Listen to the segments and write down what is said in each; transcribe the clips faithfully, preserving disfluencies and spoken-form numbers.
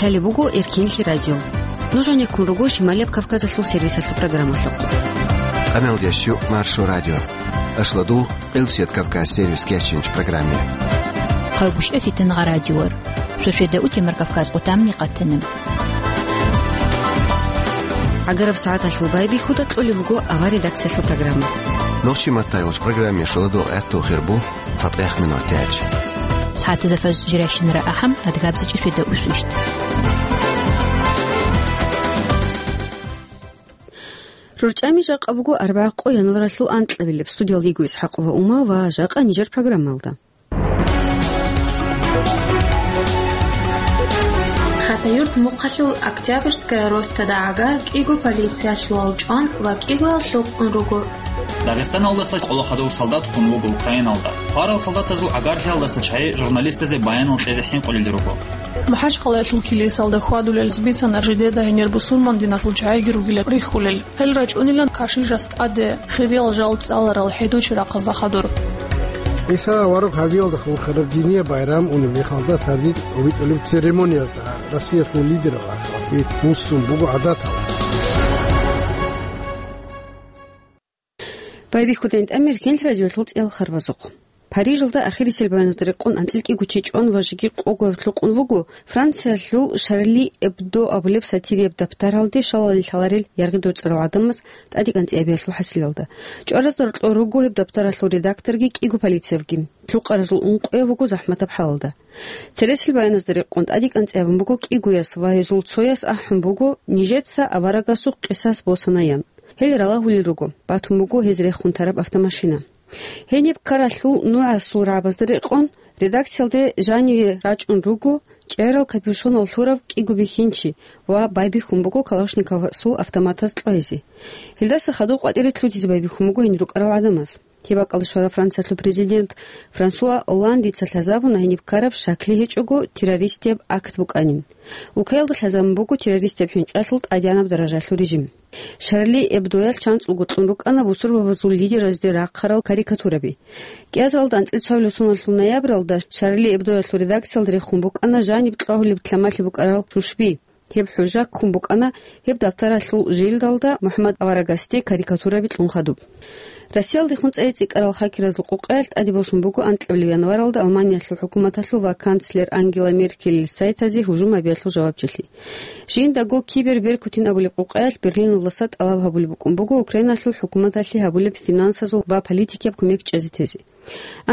Гьале буго Эркенлъи радио. Нуж гьанеккун руго Шималияб Кавказалъул сервисалъул программалъухъ. Къаналдиясчу Маршо радио. Ашладу Къилсият Кавказ сервис кечинч программе. Хъагушев Фитнагъа радиор. Сосида утемар Кавказ къутамни къатанаб. ГӀагараб сагӀаталъул байбихьуда кьолеб буго авар редакциялъул программа. Нохчи маттайолч программе шоладу гӀатту хирбу. ЦатӀех минутач. СагӀатазда фаз жиращинара ахӀам, адгабзачӀи светда усущт. РорчӀами жакъа буго арбагӀа къо январалъул анкьабилеб. Студиялда йиго ИсхӀакъова Ума ва жакъа нижер программалда. Хасавюрт мухъалъул Октябрьская ростада гӀагар кӀиго полициялъул чӀван ва кӀигоял лъукъун руго. Дагъистаналдаса къоло хадув солдат хун вуго Украиналда. Хварал солдатазул гӀагарлъиялдаса чагӀи журналистазе баянал кьезе хӀинкъулел руго. МухӀажкъалаялъул килисалда хьвадулел бицана жидеда гьенир бусурман диналъул чагӀиги ругилан рихьулел. Гьел рачӀунилан кашишас тӀаде хириял жал цӀаларал хӀедучи рахъазда хадур. ГӀиса авараг гьавиялда хурхараб динияб байрам унеб мехалда сардид витӀулеб церемониязда Россиялъул лидерал ахӀвалъи муссун буго гӀадатал. Байбихьудайн тӀамир Кенлъ радиолъул цӀел харбазухъ. Парижалда ахирисел баяназда рекъон анцӀил кӀиго чи чӀван ва жеги къого лъукъун вуго Франциялъул Шарли Эбдо абулеб сатирияб даптаралде шалалил лъаларел яргъи доцӀарал гӀадамаз тӀадекӀанцӀиябиялъул хӀасилалда. ЧӀваразда рокьор руго гьеб даптаралъул редакторги кӀиго полициябги. Лъукъаразул ункъояв вуго захӀматаб хӀалалда. Цересел баяназда рекъон тӀадекӀанцӀи абун буго кӀигояс ва гьезул цояс ахӀун буго, нижеца аварагасухъ къисас босанаян. Гьел ралагьулел руго, батун буго гьез рехун тараб автомашина. Гьениб ккаралъул нугӀасул рагӀабазда рекъон, редакциялде жаниве рачӀун руго чӀегӀерал капюшонал лъурав кӀиго бихьинчи ва байбихьун буго Калашниковасул автоматаз кьвайзе. Гьелдаса хадуб къватӀире лъутизе байбихьун буго гьенир рукӀарал гӀадамаз. Гьеб бакӀалда щварав Франциялъул президент Франсуа Олландица лъазабуна гьениб ккараб щаклъи гьечӀого террористияб акт букӀанин. Улкаялда лъазабун буго террористияб хӀинкъиялъул тӀадегӀанаб даражалъул режим. Шарли Эбдоялъ чанцӀулго кьун рукӀана бусурбабазул лидеразде рахъарал карикатураби. КӀиазаралда анцӀил цоялъул соналъул ноябралда Шарли Эбдоялъул редакциялда рехун букӀана жаниб кьвагьулеб лъамалъи букӀарал шушби. Гьеб хӀужа ккун букӀана гьеб даптаралъул желдалда МухӀаммад аварагасде карикатураби кьун хадуб. Россиялдехун цӀай цӀикӀкӀарал хакеразул къукъаялъ тӀаде босун буго анкьабилеб январалда Алманиялъул хӀукуматалъул ва канцлер Ангела Меркелил сайтазе гьужум гьабиялъул жавабчилъи. Жиндаго Киберберкутин абулеб къукъаялъ Берлиналдаса тӀалаб гьабулеб букӀун буго Украиналъул хӀукуматалъе гьабулеб финансазул ва политикияб кумек чӀезе тезе.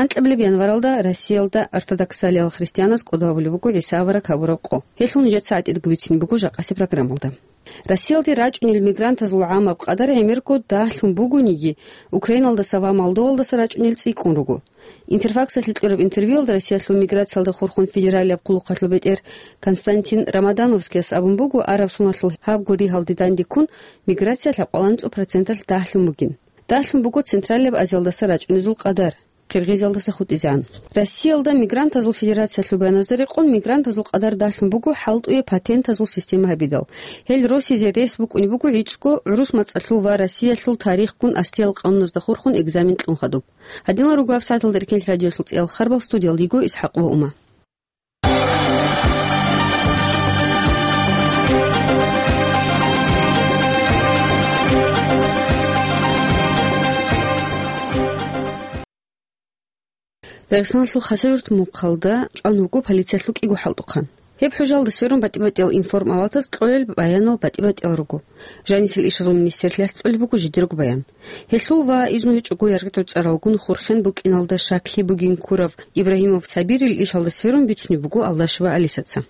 Анкьабилеб январалда Россиялда ортодоксалиял христианаз кӀодо гьабулеб буго ГӀиса авараг гьабураб къо. Гьелъул нижеца гӀатӀидго бицин буго жакъасе программалда. Россиялде рачӀунел мигрантазул гӀамаб къадар гӀемерго дагьлъун бугониги, Украиналдаса ва Молдовалдаса рачӀунел цӀикӀкӀун руго. Интерфаксалъе кьураб интервьюялда Россиялъул миграциялда хурхун федералияб хъулухъалъул бетӀер Константин Рамадановскияс абун буго, араб соналъул гьаб гуригьалде дандеккун миграция лъабкъоялда анцӀго проценталъ дагьлъун бугин. Дагьлъун буго Централияб Азиялдаса рачӀунезул къадар, Къиргъизиялдаса хутӀизегӀан. Россиялда мигрантазул федерациялъул баяназда рекъон, мигрантазул къадар дагьлъун буго хӀалтӀуе патентазул система гьабидал. Гьел росизе рес букӀунеб буго гӀицӀго гӀурус мацӀалъул ва Россиялъул тарихгун аслиял къануназда хурхун экзамен кьун хадуб. Гьадинал руго гьабсагӀаталда Эркенлъ радиоялъул цӀиялъ харбал, студиялда йиго ИсхӀакъ ва Ума. Дагъистаналъул Хасавюрт мухъалда чӀван вуго полициялъул кӀиго хӀалтӀухъан. Гьеб хӀужалда сверун батӀи-батӀиял информалатаз кьолел баянал батӀи-батӀиял руго. Жанисел ишазул министрлъиялъ кьолеб буго жидерго баян. Гьелъул ва изну гьечӀого яргъи доцӀаралгун хурхен букӀиналда щаклъи бугин ккурав Ибрагьимов Сабирил ишалда сверун бицунеб буго Алдашева Алисаца.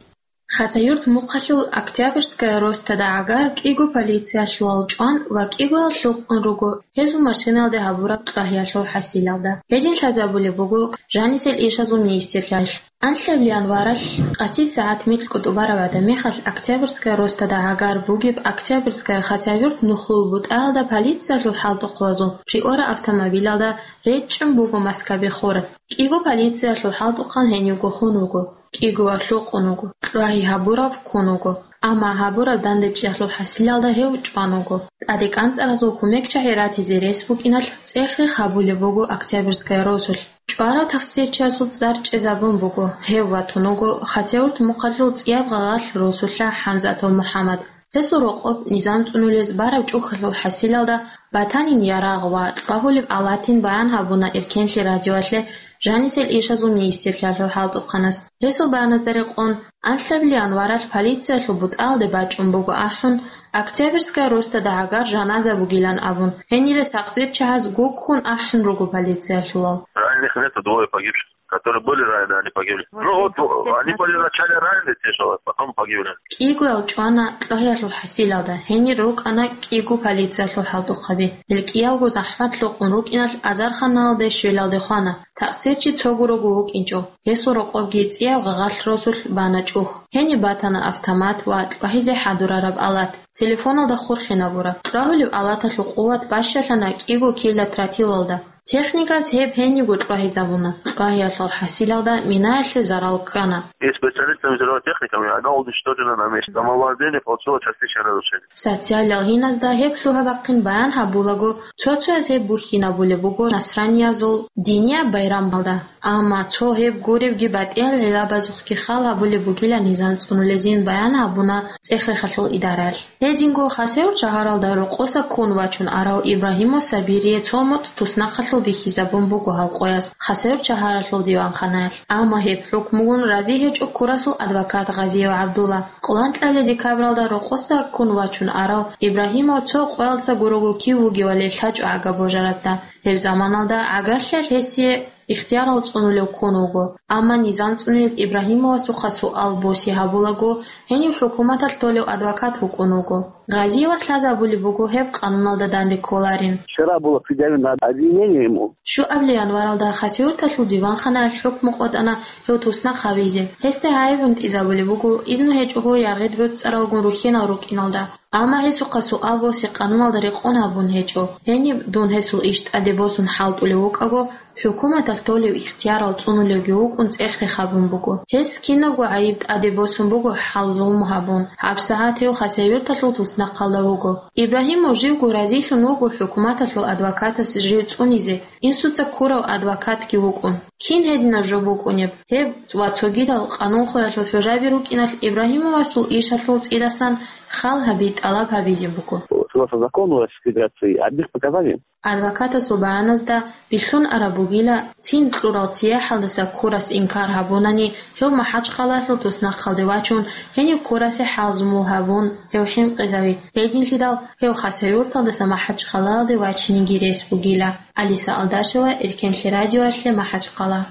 Хасавюрт мухъалъул Октябрьская ростада гӀагар кӀиго полициялъул чӀван ва кӀигоял лъукъун руго гьезул машиналде гьабураб кьвагьиялъул хӀасилалда. Гьедин лъазабулеб буго жанисел ишазул министрлъиялъ. Анлъабилеб январалъ къаси сагӀат микьго тӀубараб гӀадамихъалъ Октябрьская ростада гӀагар бугеб Октябрьская Хасавюрт нухлул бутӀаялда полициялъул хӀалтӀухъабазул приора автомобилалда речӀчӀун буго Москваби хурас. КӀиго полициялъул хӀалтӀухъан гьенивго хун вуго, кӀиго лъукъун вуго, кьвагьи гьабурав ккун вуго. Амма гьабураб дандечӀеялъул хӀасилалда гьев чӀван вуго. ТӀаде кӀанцӀаразул кумекчагӀи ратизе рес букӀиналъ цӀех-рех гьабулеб буго Октябрьская росулъ. ЧӀварав тахсирчиясул цӀар чӀезабун буго, гьев ватун вуго Хасавюрт мухъалъул цӀияб гъагъалъ росулъа ХӀамзатов МухӀаммад. Гьесул рокъоб низам цӀунулез бараб чӀухьалъул хӀасилалда батанин ярагъ ва кьвагьулеб алатин баян гьабуна Эркенлъи радиоялъе жанисел ишазул министрлъиялъул хӀалтӀухъанас. Гьесул баяназда рекъон, анлъабилеб январалъ полициялъул бутӀалде бачӀун буго ахӀун, Октябрьская росдада гӀагар жаназа бугилан абун, гьенире сакъзирчагьаз гуккун ахӀун руго полициялъулал. Раненых нету, двое погибших, которые были ранены, они погибли. Ну вот, они были вначале ранены, те, что потом погибли. КӀигоял чӀвана кьвагьиялъул хӀасилалда, гьенир рукӀана кӀиго полициялъул хӀалтӀухъаби. Гьел кӀиялго захӀмат лъукъун рукӀиналъ азарханалде щвелалде хвана. Такъсирчи цо гурого вукӀинчӀо. Гьесул рокъобги цӀияб гъагъалъ росулъ бана чӀухь. Гьениб батана автомат ва кьвагьизе хӀадурараб алат. Телефоналда хурхинабураб. Кьвагьулеб алаталъул къуват бащалъана кӀиго кила тротилалда. Техникас гьеб гьенибго кьвагьизабуна. Кьвагьиялъул хӀасилалда минаялъе зарал ккана. И специалистами взрывотехниками она уничтожена на месте. Самовладение получило частичное разрушение. Социалиял гьиназда гьеб лъугьа-бахъин баян гьабулаго, цо-цояз гьеб бухьинабулеб буго насраниязул динияб байрамалда. Амма цо гьеб гуребги батӀиял гӀиллабазухъги хал гьабулеб бугилан низам цӀунулезин баян гьабуна цӀех-рехалъул идараялъ. Гьединго Хасавюрт шагьаралда рокъоса ккун вачун арав Ибрагьимов Сабирие цо мутӀ туснахъалъув бихьизабун буго гьал къояс Хасавюрт шагьаралъул диванханаялъ. Амма гьеб хӀукмугун рази гьечӀо Курасул адвокат Гъазиев ГӀабдулла. Къоланкьабилеб декабралда рокъоса ккун вачун арав Ибрагьимов цо къоялдаса гурого кив вугевали лъачӀо гӀага божаразда. Гьеб заманалда гӀагарлъиялъ гьесие ихтиярал цӀунулев ккун вуго. Амма низам цӀунилез Ибрагьимовасухъа суал босе гьабулаго, гьенив хӀукуматалъ толев адвокат вукӀун вуго. Гъазиевас лъазабулеб буго гьеб къануналда данде кколарин. Вчера было предъявлено обвинение ему. Щуабилеб январалда Хасавюрталъул диванханаялъ хӀукму къотӀана гьев туснахъ гьавизе. Гьесда гӀайиб гӀунтӀизабулеб буго, изну гьечӀого яргъи гӀуцӀаралгун рухьинал рукӀиналда. Амма гьесухъа суал босе къануналда рекъон гьабун гьечӀо. Гьениб дун гьесул иш тӀаде босун хӀалтӀулев вукӀаго, хӀукуматалъ толев ихтиярал цӀунулевги вукӀун цӀех-рех гьабун буго. Гьес кинабго гӀайиб тӀаде босун буго хӀал-зулму гьабун. ГьабсагӀат гьев Хасавюрталъул туснахъалда вуго. Ибрагьимов живго разилъун вуго хӀукуматалъул адвокатас жив цӀунизе, инсуца ккурав адвокатги вукӀун. Кин гьединаб жо букӀунеб? Гьеб ва цогидал къанунхоялъул хӀужаби рукӀиналъ Ибрагьимовасул ишалъул цӀидасан хал гьаби тӀалаб гьабизе буго. Согласно закону Российской Федерации, одних показаний. Адвокатасул баяназда бихьун араб бугила, цин кьурал сияхӀалдаса ккурас инкар гьабунани, гьев МахӀачхъалалъул туснахъалде вачун, гьенив ккурасе хӀалзумул гьабун, гьев хӀинкъизави. Гьединлъидал гьев Хасавюрталдаса МахӀачхъалалде вачинеги рес бугила. Алиса Алдашева, Эркенлъи радиоялъе, МахӀачхъала.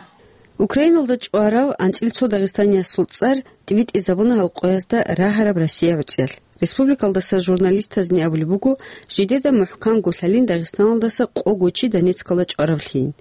Украиналда чӀварав анцӀила цо дагъистаниясул цӀар тӀибитӀизабуна гьал къоязда рагьараб Россия гӀуцӀиялъ. Республикалдаса журналистазни абулеб буго, жидеда мухӀканго лъалин Дагъистаналдаса къого чи Донецкалда чӀваравлъийин.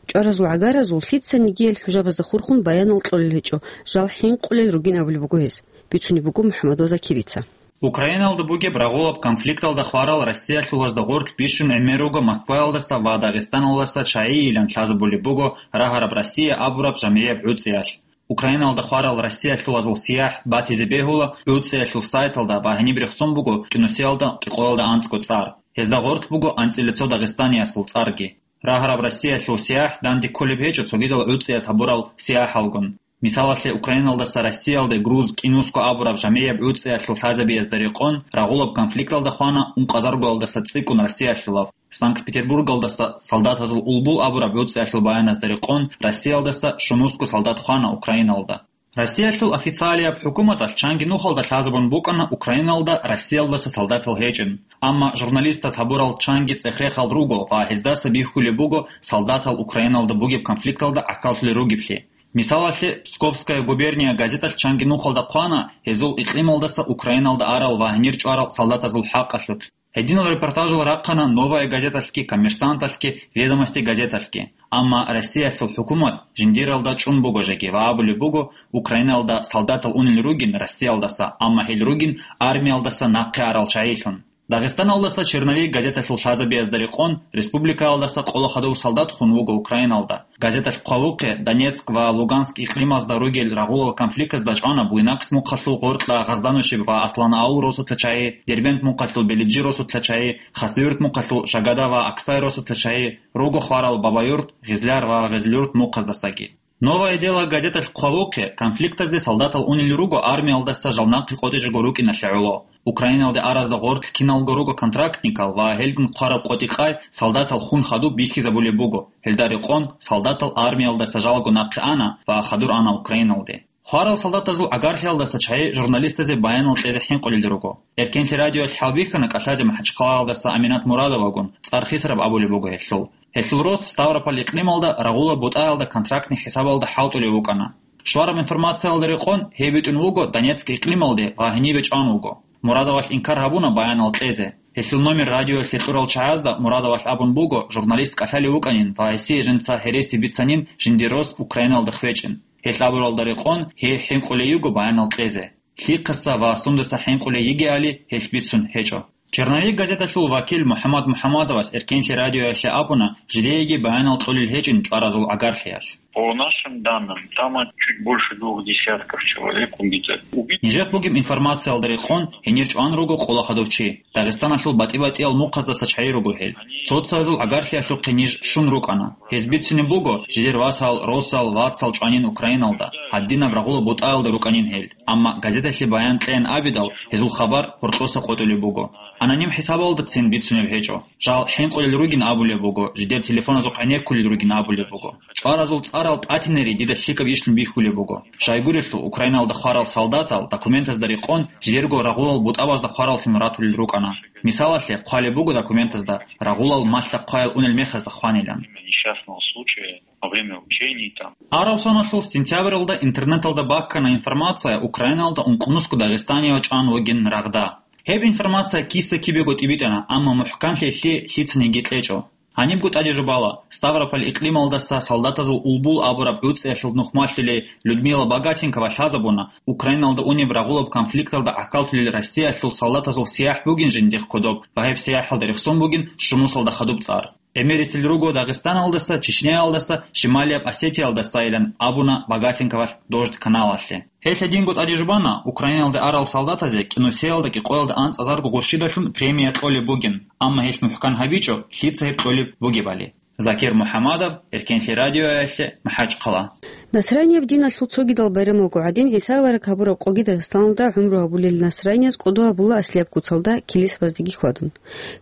ЧӀваразул гӀагаразул лъицаниги гьел хӀужабазда хурхун баянал кьолел гьечӀо, жал хӀинкъулел ругин абулеб буго гьес, бицунеб буго МухӀаммадова Закирица. Украиналда бугеб рагъулаб конфликталда хварал россиялъулазда гъорлъ бищун гӀемер руго Москваялдаса ва Дагъистаналдаса чагӀийилан лъазабулеб буго рагьараб Россия абураб жамгӀияб гӀуцӀиялъ. Украиналда хварал россиялъулазул сияхӀ батизе бегьула гӀуцӀиялъул сайталда ва гьениб рехсон буго кӀинусиялда кӀикъоялда анцӀго цӀар. Гьезда гъорлъ буго анцӀила цо дагъистаниясул цӀарги. Рагьараб россиялъул сияхӀ данде кколеб гьечӀо цогидал гӀуцӀияс гьабурал сияхӀалгун. Мисалалъе, Украиналдаса Россиялде груз кӀинусго абураб жамгӀияб гӀуцӀиялъул лъазабиязда рекъон рагъулаб конфликталда хвана ункъазаргоялдаса цӀикӀкӀун россиялъулаб. Санкт-Петербургалдаса солдатазул улбул абураб гӀуцӀиялъул баяназда рекъон Россиялдаса щунусго солдат хвана Украиналда. Россиялъул официалияб хӀукуматалъ чанги нухалда лъазабун букӀана Украиналда Россиялдаса солдатал гьечӀин. Амма журналистаз гьабурал чанги цӀех-рехал руго ва гьездаса бихьулеб буго солдатал Украиналда бугеб конфликталда гӀахьаллъулел ругеблъи. Мисалалъе, Псковская губерния газеталъ чанги нухалда хъвана гьезул икълималдаса Украиналда арал ва гьенир чӀварал солдатазул хӀакъалъулъ. Гьединал репортажал рахъана Новая газеталъги, Коммерсанталъги, Ведомости газеталъги. Амма Россиялъул хӀукумат жиндиралда чӀун буго жеги ва абулеб буго, Украиналда солдатал унел ругин Россиялдаса, амма гьел ругин армиялдаса нахъе арал чагӀилъун. Дагъистаналдаса «Черновик» газеталъул лъазабиязда рекъон, республикаялдаса къоло хадув солдат хун вуго Украиналда. Газеталъ хъвавухъе, Донецк ва Луганск икълимазда ругел рагъулал конфликтазда чӀвана Буйнакск мухъалъул Гъоркьа, Гъазданущеб ва Атланаул росулъа чагьи, Дербент мухъалъул Белиджи росулъа чагьи, Хасавюрт мухъалъул Шагада ва Аксай росулъа чагьи, руго хварал Бабаюрт, Гъизляр ва Гъизлюрт мухъаздасаги. «Новое дело» газеталъ хъвавухъе, конфликтазде солдатал унел руго армиялдаса жал нахъе къотӀичӀого рукӀиналъе гӀоло. Украиналде аразда гъорлъ киналго руго контрактникал ва гьелгун хъвараб къотӀи-къай солдатал хун хадуб бихьизабулеб буго. Гьелда рекъон солдатал армиялдаса жалго нахъе ана ва хадур ана Украиналде. Хварал солдатазул гӀагарлъиялдаса чагьи журналистазе баянал кьезе хӀинкъулел руго. Эркенлъи радиоялъ хӀалбихьана кӀалъазе МахӀачхъалаялдаса Аминат Мурадовагун, цӀар Хисраб абулеб буго гьелъул. Гьелъул рос Ставрополь икълималда рагъула бутӀаялда контрактный хӀисабалда хӀалтӀулев вукӀана. Щвараб информациялда рекъон, гьев витӀун вуго Донецк икълималде ва гьенибе чӀван вуго. Мурадовалъ инкар гьабуна баянал кьезе. Гьелъул номер радиоялъе кьурал чагӀазда Мурадовалъ абун буго, журналист кӀалъалев вукӀанин ва гьесие жинца гьереси бицанин жиндир рос Украиналда хвечӀин. Гьелъ абуралда рекъон, гьей хӀинкъулей йиго баянал кьезе. Лъихъаса ва сундаса хӀинкъулей йигеали, гьелъ бицун гьечӀо. «Черновик» газеталъул вакил МухӀаммад МухӀаммадовас Эркенлъи радиоялъе абуна, жидееги баянал кьолел гьечӀин чӀваразул гӀагарлъиялъ. По нашим данным, там чуть больше двух десятков человек убито. Убит- Нижехъ бугеб информациялда рекъон, гьенир чӀван руго къоло хадув чи. Дагъистаналъул батӀи-батӀиял мухъаздаса чагьи руго гьел. Цоцазул гӀагарлъиялъухъе ниж щун рукӀана. Гьез бицунеб буго, жидер васал, росал, вацал чӀванин Украиналда, гьадинаб рагъула бутӀаялда рукӀанин гьел. Амма газеталъе баян кьеян абидал, гьезул хабар гьоркьоса къотӀулеб буго. Аноним хӀисабалдацин бицунеб гьечӀо. Жал хӀинкъулел ругин абулеб буго, жидер телефоназухъ гӀенеккулел ругин абулеб буго. ЧӀваразул цӀарал тӀатинери дида лъикӀаб ишлъун бихьулеб буго. Щайгурелъул, Украиналда хварал солдатал документазда рекъон, жидерго рагъулал бутӀабазда хвараллъун ратулел рукӀана. Мисалалъе, хъвалеб буго документазда, рагъулал малъа хъваял унел мехазда хванилан. Несчастного случая во время учений там. Араб соналъул сентябралда интернеталда баккана информация, Украиналда ункънусго дагъистанияв чӀван вугин рагъда. Гьеб информация киса-кибего тӀибитӀана, амма мухӀканлъи лъи лъицаниги кьечӀо. Гьанибго тӀаде жубала, Ставрополь икълималдаса солдатазул Улбул абураб гӀуцӀиялъул нухмалъулей Людмила Богатенкова лъазабуна, Украиналда унеб рагъулаб конфликталда гӀахьаллъулел Россиялъул солдатазул сияхӀ бугин жиндихъ кодоб ва гьеб сияхӀалда рехсон бугин щунусалда хадуб цӀар. ГӀемерисел руго Дагъистаналдаса, Чечняялдаса, Шималияб Осетиялдасайилан абуна Богатенковалъ Дождь каналалъе. Гьелъ гьединго тӀаде жубана, Украиналда арал солдатазе кӀинусиялда кӀикъоялда анцӀазарго гъурщидалъун премия кьолеб бугин, амма гьелъ мухӀкан гьабичӀо, лъица гьеб кьолеб бугебали. Закир МухӀамадов, Эркенлъи радиоялъе, МахӀачхъала. Насранияб диналъул цогидал байрамалго гӀадин, ГӀиса авараг гьабураб къоги Дагъистаналда гӀумру гьабулел насранияз кӀодо гьабула аслияб куцалда килисабаздеги хьвадун.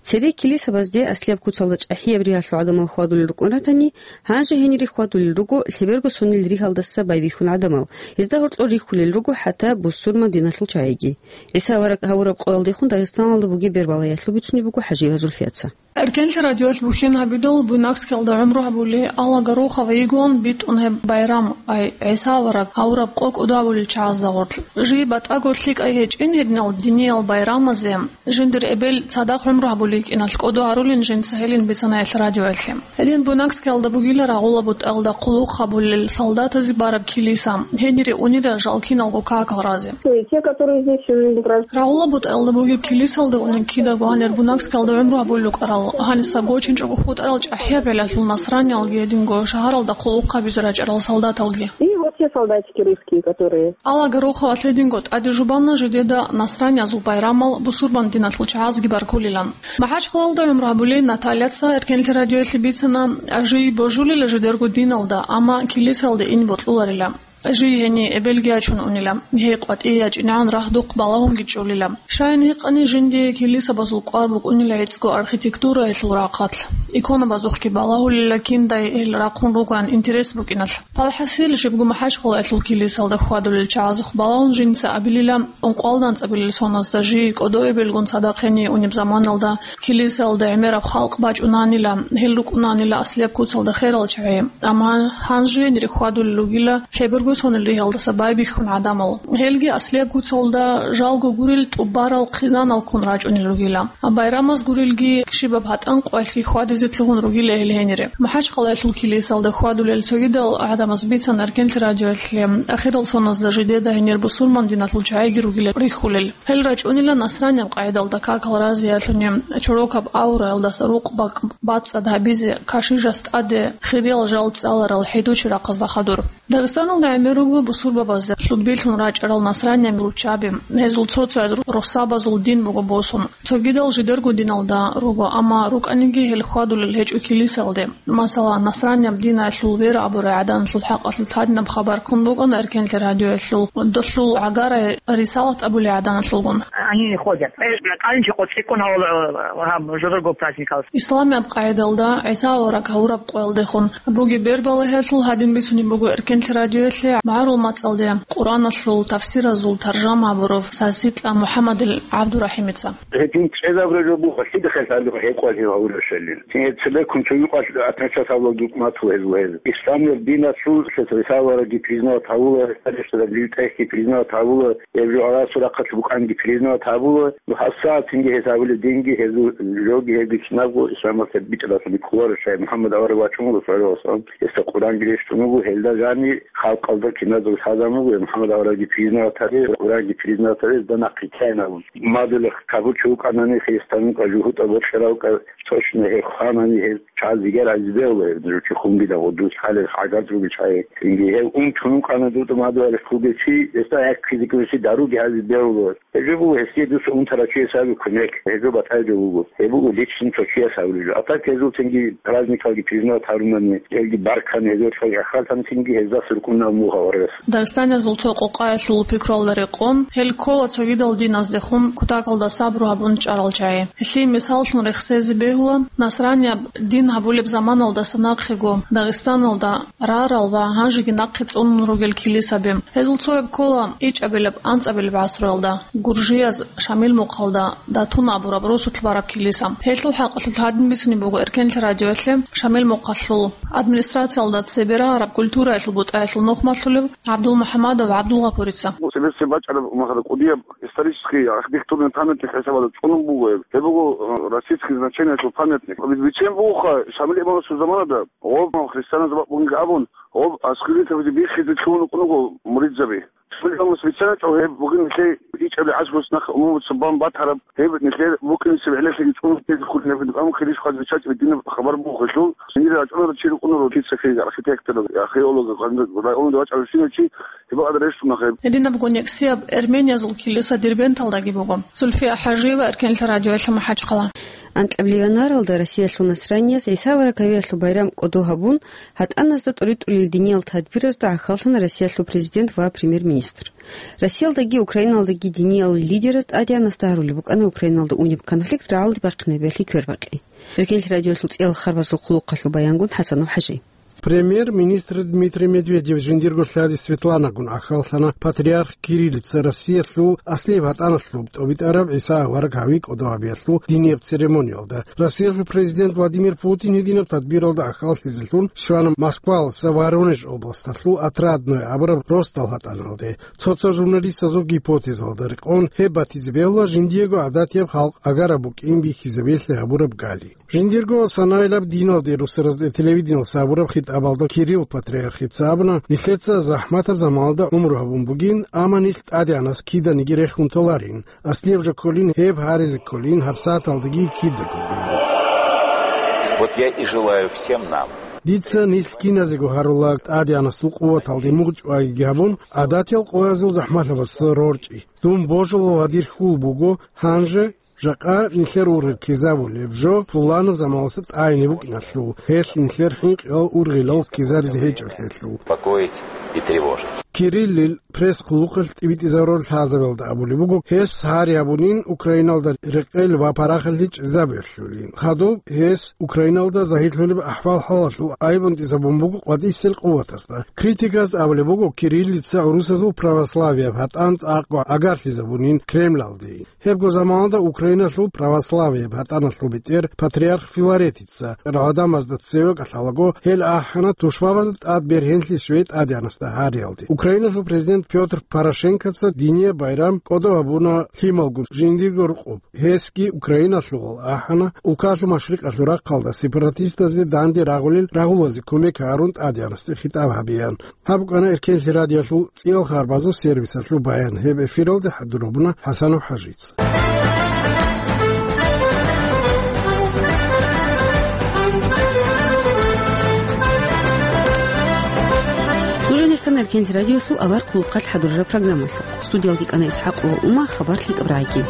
Цере килисабазде аслияб куцалда чӀахӀияб ригьалъул гӀадамал хьвадулел рукӀун ратани, гьанже гьенире хьвадулел руго лъеберго сонил ригьалдаса байбихьун гӀадамал, гьезда гьоркьор рихьулел руго хӀатта бусурман диналъул чагӀиги. ГӀиса авараг гьавураб къоялдехун Дагъистаналда бугеб бербалаялъул бицунеб буго ХӀажиева Зульфияца. Эркенлъи радиоялъ бухьен гьабидал, Буйнакскиялда гӀумру гьабули, Алла Горохова йигон битӀун гьеб байрам, ай, ГӀиса авараг гьавураб къо кӀодо гьабулел чагӀазда гъорлъ. Жий батӀаго лъикӀай гьечӀин гьединал диниял байрамазе, жиндир эбел цадахъ гӀумру гьабулей кӀиналъ кӀодо гьарулин жинца гьелин бицанаялъ радиоялъе. Гьедин Буйнакскиялда бугила рагъула бутӀалда къуллукъ гьабулел солдатазе бараб килиса, гьенире унира жал киналго какал разе. Те, те, которые здесь, э, граждане. Рагъула бутӀалда бугеб килисалда унеб кидаго гьанир Буйнакскиялда гӀумру гьабулел рукӀарал, гьаниса гочинчӀого хутӀарал чӀахӀияб гӀелалъул насраниялги гьединго шагьаралда къуллукъ гьабизе рачӀарал солдаталги. И вот те солдатики русские, которые. Алла Гороховалъ гьединго тӀаде жубана жидеда насраниязул байрамал бусурман диналъул чагӀазги баркулилан. МахӀачхъалалда гӀумру гьабулей Натальяца Эркенлъи радиоялъе бицана, жий божулила жидерго диналда, амма килисалда ин бокьуларила. Жий гьениб эбелги ячун унила, гьей къватӀие ячӀинегӀан рагьдухъ балагьунги чӀолила. Щайин гьикъани, жиндие килисабазул кӀвар букӀунила гӀицӀго архитектураялъул рахъалъ. Иконабазухъги балагьулила киндай гьел рахъун ругоян интерес букӀиналъ. Палхасил жибго МахӀачхъалаялъул килисалда хьвадулел чагӀазухъ балагьун жинца абилила, ункъоялда анцӀабилел соназда жий кӀодо эбелгун цадахъ гьениб унеб заманалда килисалда гӀемераб халкъ бачӀунанила, гьел рукӀунанила аслияб куцалда херал чагӀи. Амма гьанже гьенире хьвадулел ругила лъеберго бусунел ригьалдаса байбихьун гӀадамал. Гьелги аслияб куцалда жалго гурел тӀубарал хъизаналккун рачӀунел ругила. Байрамаз гурелги щибаб гьатӀан къвалъги хьвадизе лъугьун ругила гьел гьенире. МахӀачхъалаялъул килисалда хьвадулел цогидал гӀадамаз бицана Эркенлъи радиоялъе ахирал соназда жидеда гьенир бусурман диналъул чагӀиги ругилан рихьулел. Гьел рачӀунила насранияб къагӀидалда какал разиялъуни, чорокаб авраялдаса рукъ бакӀ бацӀцӀад гьабизе, кашишас тӀаде хириял жал цӀаларал хӀидучи рахъазда хадур. Дагъистаналда гӀемер руго бусурбабазда лъудбилъун рачӀарал насранияб руччаби. Гьезул цо-цояз ру-, росабазул дин буго босун. Цогидал жидерго диналда руго, амма рукӀаниги гьел хьвадулел гьечӀо килисалде. Масала, насранияб диналъул вера абурай гӀаданалъул хӀакъалъулъ гьадинаб хабар ккун букӀана Эркенлъи радиоялъул долъул гӀагарай рисалат абулей гӀаданалъулгун. Они не ходят. Э, калинчи кочекун гьавола, э, гьаб жодорго праздникал. Исламияб къагӀидалда ГӀиса авараг гьавураб къоялдехун бугеб бербалагьиялъул гьадин бицунеб буго Эркенлъи радиоялъе магӀарул мацӀалде Къуръаналъул тафсиразул таржама гьабурав Сасикьа МухӀаммадил ГӀабдурахӀимица. Гьедин чӀезабураб жо буго, лъида хӀалалъ гьекъолъи гьавураб щалил. Гьеб цебеккун цо юкъалъ атмечасавлаг юкъмат гьезул гьез. Исламияб диналъул лъес рисалараги признават гьавула, рисалараги признават гьавула, гьеб жо Аллагьасул рахъалъ букӀанги признават гьавула. Ну, гьабсагӀатинги гьез гьавулеб динги, гьезул жоги, гьебги кинабго исламалъе битӀаралъуни кколаро, щай МухӀаммад авараг вачӀун вуго, саллаллагьу гӀалайгьи ва саллам, гьесда Къуръанги рещтӀун вуго, гьелда жани халкъалда киназул лъазабун буго, МухӀаммад аварагги признават гьаре, Къуръанги признават гьаре, гьезда нахъе ккейин абун. Мадула кабурчи вукӀанани, христиан вукӀа, жугьутӀа бочӀарав вукӀа, точно гьеб хванани, гьеб чаз зигер гьазе бегьула, гьеб нуж чи хунги дагъо дус хӀалел хӀагар ругел чагӀи. Цинги гьев унтун вукӀана дуда мадугьалихъ вугев чи, гьесда гӀеххизеги веси даруги гьазе бегьула. Гьеб жо буго гьесие дус унтарав чияс гьабе кумек, гьеб жо батӀаяб жо буго. Гьеб буго личный цо чияс гьабулеб жо. А так гьезул цинги праздникалги признават гьарунани, гьелги баркани, гьезул цо яхъалтани цинги гьезда суркъунав мугьа варгас. Дагъистаниязул цо къокъаялъул пикруялда рекъон, гьел ккола цогидал диназдехун кутакалда сабру гьабун чӀарал чагӀи. Гьелъие мисаллъун рехсезе бегьула, насранияб дин гьабулеб заманалдаса нахъего Дагъистаналда рарал ва гьанжеги нахъе цӀунун ругел килисаби. Гьезул цояб ккола ичӀабилеб-анцӀабилеб гӀасруялда гуржияз Шамил мухъалда Датун абураб росулъ бараб килиса. Гьелъул хӀакъалъулъ гьадин бицунеб буго Эркенлъи радиоялъе Шамил мухъалъул администрациялда цебе рагьараб культураялъул бутӀаялъул нухмалъулев ГӀабдулмухӀамадов ГӀабдулгъапурица. Цебесеб бачӀараб махара кӀудияб исторический архитектурный памятник хӀисабалда цӀунун буго гьеб. Гьеб буго, э, российский значениялъул памятник. Бицен бугоха Шамил имамасул заманада, гъоб христианаз бакъ бугин абун, гъоб аскерин тавжи биххизе лъугьун вукӀун вуго муридзаби. Шамил имамас бицаначӀо гьеб бугин нилъее ичӀаби гӀасрус нахъ умумуца бан батараб, гьеб нилъер букӀинисеб гӀелалъеги цӀунун тезе хъулин гьеб, амма хириш хъваз бичачӀоби динаб хабар буго гьелъул, цинги рачӀунарав чи рукӀунаро, кица хириг архитектор, археолог, гьанже районда вачӀарав щинав чи, гьеб гьадин рещтӀуна гьеб. Гьединабго нексияб эрмениязул килиса Дербенталдаги буго. Зульфия ХӀажиева, Эркенлъи радиоялъе, МахӀачхъала. Анкьабилеб январалда Россиялъул насраниязда ГӀиса авараг гьавиялъул байрам кӀодо гьабун, гьатӀаназда тӀоритӀулел диниял тадбиразда гӀахьаллъана Россиялъул президент ва премьер-министр. Россиялдаги Украиналдаги диниял лидераз ТӀадегӀанасда гьарулеб букӀана Украиналда унеб конфликт рагӀалде бахъинабиялъе квербакъи. Эркенлъи радиоялъул цӀиял харбазул хъулухъалъул баянгун ХӀасанов ХӀажи. Премьер-министр Дмитрий Медведев жиндирго лъади Светланагун гӀахьаллъана патриарх Кириллица Россиялъул аслияб гьатӀаналъуб тӀобитӀараб ГӀиса авараг гьави кӀодо гьабиялъул динияб церемониялда. Россиялъул президент Владимир Путин гьединаб тадбиралда гӀахьаллъизелъун щвана Москваласа Воронеж областалъул Отрадное абураб росдал гьатӀаналде. Цо-цо журналистазул гипотезалда рекъон гьеб батизе бегьула жиндиего гӀадатияб халкъ агараб букӀин бихьизабиялъе гьабураб гали. Жиндирго санаилаб диналде русаразде телевидениялъ гьабураб хитӀабалда Кирилл патриархица абуна, нилъеца захӀматаб заманалда гӀумру гьабун бугин, амма нилъ ТӀадегӀанас киданиги рехун толарин, аслияб жо кколин, гьеб гьаризе кколин гьабсагӀаталдаги кидаго бугин. Вот я и желаю всем нам. Дица нилъ киназего гьарула ТӀадегӀанасул къуваталде мугъчӀвайги гьабун, гӀадатиял къоязул захӀмалъабаз рорчӀи. Дун божулал ва дир хьул буго, гьанже жакъа нилъер ургъел ккезабулеб жо пуланаб заманалдаса тӀагӀине букӀиналъул, гьелъ нилъер хӀинкъиялъул ургъел ккезаризе гьечӀолъиялъул. Беспокоить и тревожить. Кириллил пресс-хъулухъалъ тӀибитӀизарурал лъазабиялда абулеб буго, гьес гьари гьабунин Украиналда рекъел ва парахалъи чӀезабиялъулин. Хадуб гьес Украиналда загьирлъулеб ахӀвал-хӀалалъул айбунтӀизабун буго къватӀисел къуватазда. Критиказ абулеб буго, Кириллица гӀурусазул православияб гьатӀан цӀакъго агарлъизабунин Кремлалде. Гьебго заманалда Украиналъул православияб гьатӀаналъул бетӀер патриарх Филаретица гӀадамазда цеве кӀалъалаго, гьел ахӀана тушбабазда тӀад бергьенлъи щвей ТӀадегӀанасда гьариялде. Украиналъул президент Пётр Порошенкоца диния байрам кӀодо гьабуна лъималгун жиндирго рукъуб. Гьесги Украиналъувал ахӀана, улкалъул машрикъалъул рахъалда сепаратистазде данде рагъулел рагъулазе кумек гьарун тӀадегӀанасде хитӀаб гьабеян. Гьаб букӀана Эркенлъи радиолъул цӀиял харбазул сервисалъул баян. Гьеб эфиралде хӀадур гьабуна ХӀасанов ХӀажица. Нуж гьанир ккана Эркенлъи радиолъул авар хъулухъалъ хӀадурараб программалъухъ. Студиялде ккана ИсхӀакъова Ума, хабар лъикӀаб рагӀиги.